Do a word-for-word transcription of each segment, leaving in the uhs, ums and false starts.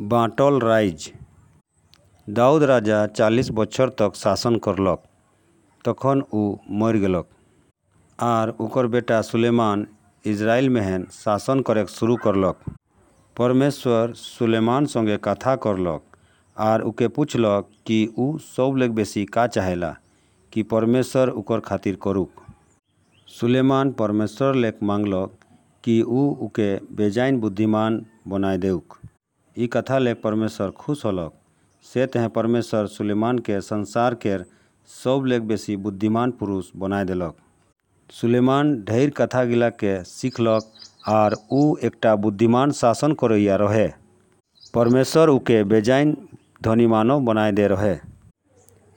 बांटल राइज। दाऊद राजा चालीस बच्छर तक शासन करलक। तखन उ मरि गेलक, आर उकर बेटा सुलैमान इस्राएल मेहेन शासन करेक शुरू करलक। परमेश्वर सुलैमान सँगे कथा करलक आर उके पुछलक कि उ सबलेक बेसी का चाहेला कि परमेश्वर उकर खातिर करूक। सुलैमान परमेश्वर लेक मांगलक कि उ उके बेजाइन बुद्धिमान बनाय देउक। ई कथा लेक परमेश्वर खुश होलक। से तहें परमेश्वर सुलैमान के संसार केर सबलेक बेसी बुद्धिमान पुरुष बनाय देलक। सुलैमान ढेर कथा गिला के सिखलक आर उ एकटा बुद्धिमान शासन करैया रहे। परमेश्वर उके बेजाइन धनीमानो बनाय दे रहे।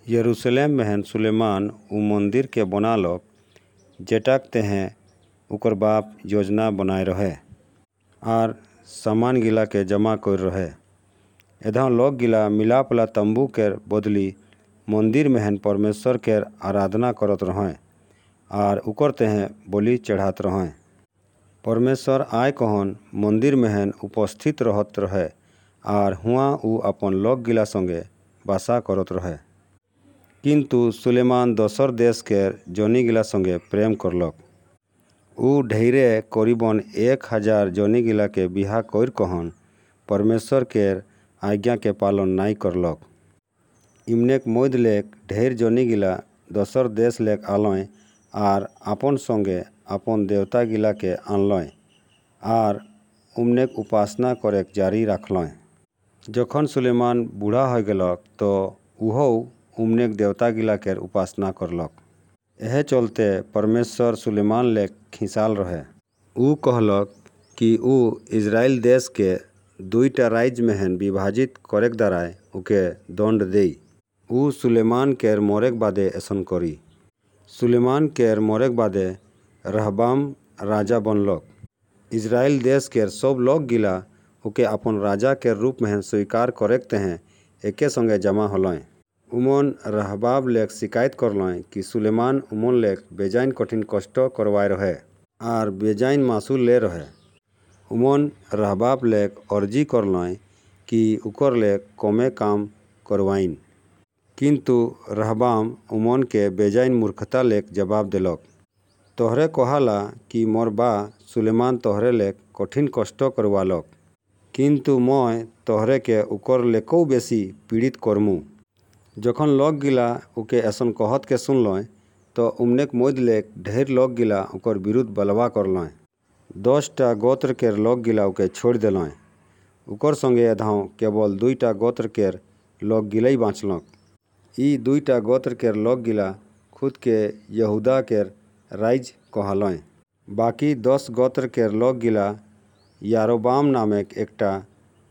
यरूशलेम मेहेन सुलैमान उ मंदिर के बनालक जेटाक तेहें उकर बाप योजना बनाय रहे आर सामान गिला के जमा करि रहे। एधाव लोग गिला मिलापला तंबू केर बदली मंदिर मेहेन परमेश्वर केर आराधना करत रहें आर उकर तेहें बलि चढ़ात रहें। परमेश्वर आय कहन मंदिर मेहेन उपस्थित रहत रहे आर हुआं उ अपन लोग गिला संगे बासा करत रहे। किंतु सुलैमान दोसर देश केर जनी गिला संगे प्रेम करलक। उ ढेरे करीबन एक हजार जनी गिला के बिहा करि कहन परमेश्वर केर आज्ञा के पालन नाय करलक। इमनेक मध्य लेक ढेर जनी गिला दोसर देश लेक आलों आर आपन संगे आपन देवता गिला के आनलों आर उमनेक उपासना करेक जारी राखलों। जखन सुलैमान बूढ़ा हो गेलक तो उहो उमनेक देवता गिला केर उपासना करलक। एहे चलते परमेश्वर सुलैमान लेक खिसाल रहे। उ कहलक कि उ इस्राएल देश के दुईटा राज्य मेहेन विभाजित करेक दाराय उके दंड देई। उ सुलैमान केर मरेक बादे ऐसन करी। सुलैमान केर मरेक बादे रहबाम राजा बनलक। इस्राएल देश केर सब लोग गिला उके अपन राजा केर रूप मेहेन स्वीकार करेक तेहें एके संगे जमा होलों। उमन रहबाब लेक शिकायत करलों कि सुलैमान उमन लेक बेजाइन कठिन कष्ट करवाय रहे आर बेजाइन मासूल ले रहे। उमन रहबाब लेक अर्जी करलों कि उकर लेक कमे काम करवाइन। किंतु रहबाम उमन के बेजाइन मूर्खता लेक जवाब देलक। तोहरे कहाला कि मोर बा सुलैमान तोहरे लेक कठिन कष्ट करवालक, किंतु मय तोहरे के उकर लेकौ बेसी पीड़ित करमु। जखन लोग गिला उके ऐसन कहत के सुनलों तो उमनेक मध्य लेक ढेर लोग गिला उकर विरुद्ध बलवा करलों। दस टा गोत्र केर लोग गिला उके छोड़ देलों। उकर संगे एधाव केवल दुईटा गोत्र केर लोग गिलई बाँचलक। ई दुईटा गोत्र केर लोग गिला खुद के यहूदा केर राइज कहालों। बाकी दस गोत्र केर लोग गिला यारोबाम नामेक एकटा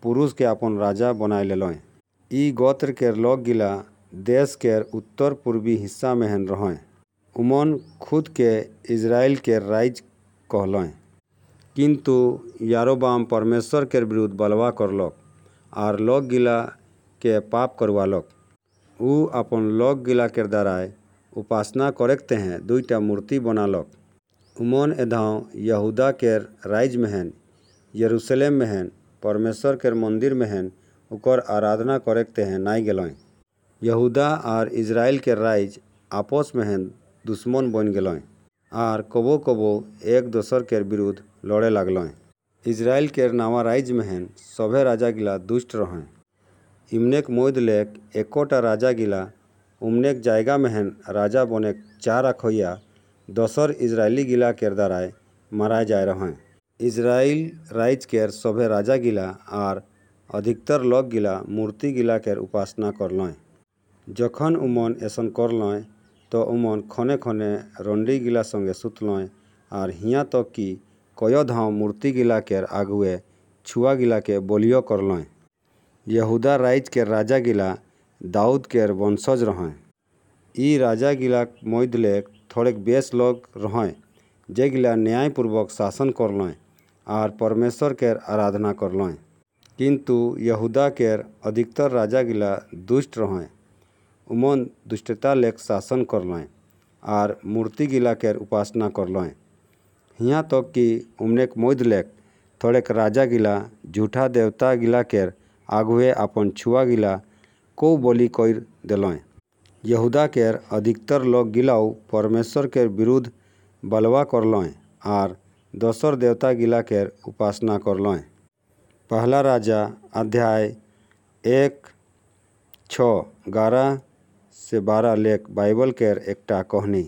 पुरुष के अपन राजा बनाय लेलों। ई गोत्र केर लोग गिला देश केर उत्तर पूर्वी हिस्सा मेहेन रहें। उमन खुद के इस्राएल केर राइज कहलों। किंतु यारोबाम परमेश्वर केर विरुद्ध बलवा करलक आर लोग गिला के पाप करवालक। उ अपन लोग गिला केर दाराय उपासना करेक तेहें दुईटा मूर्ति बनालक। उमन एधाव यहूदा केर राइज मेहेन यरूशलेम मेहेन परमेश्वर केर मंदिर मेहेन उकर आराधना करेक तेहें नाय गेलों। यहूदा आर इस्राएल केर राइज आपस मेहेन दुश्मन बनि गेलों आर कबो कबो एक दोसर केर विरुद्ध लड़े लागलों। इस्राएल केर नवा राइज मेहेन सभे राजा गिला दुष्ट रहें। इमनेक मध्य लेक एकोटा राजा गिला उमनेक जायगा मेहेन राजा बनेक चाह रखैया दोसर इस्राएली गिला केर दाराय माराय जाय रहें। इस्राएल राइज केर सभे राजा गिला आर अधिकतर लोग गिला मूर्ति गिला केर उपासना करलों। जखन उमन ऐसन करलों तो उमन खने खने रंडी गिला संगे सुतलों आर हियाँ तक कि कयो धाव मूर्ति गिला केर आगुए छुआ गिला के बलियो करलों। यहूदा राइज केर राजा गिला दाऊद केर वंशज रहें। ई राजा गिला मध्य लेक थोड़ेक बेस लोग रहें जे गिला न्यायपूर्वक शासन करलों आर परमेश्वर केर आराधना करलों। किंतु यहूदा केर अधिकतर राजा गिला दुष्ट रहें। उमन दुष्टता लेक शासन करलों आर मूर्ति गिला केर उपासना करलों। हियाँ तक कि उमनेक मध्य लेक थोड़ेक राजा गिला झूठा देवता गिला केर आगूए अपन छुआ गिला कौ बलि करि देलकै। यहूदा केर अधिकतर लोग गिलाउ परमेश्वर केर विरुद्ध बगावत करलकै आर दोसर देवता गिला केर उपासना करलकै। पहला राजा अध्याय एक, छओ, गारह से बारह लेख बाइबल केर एकटा कहानी।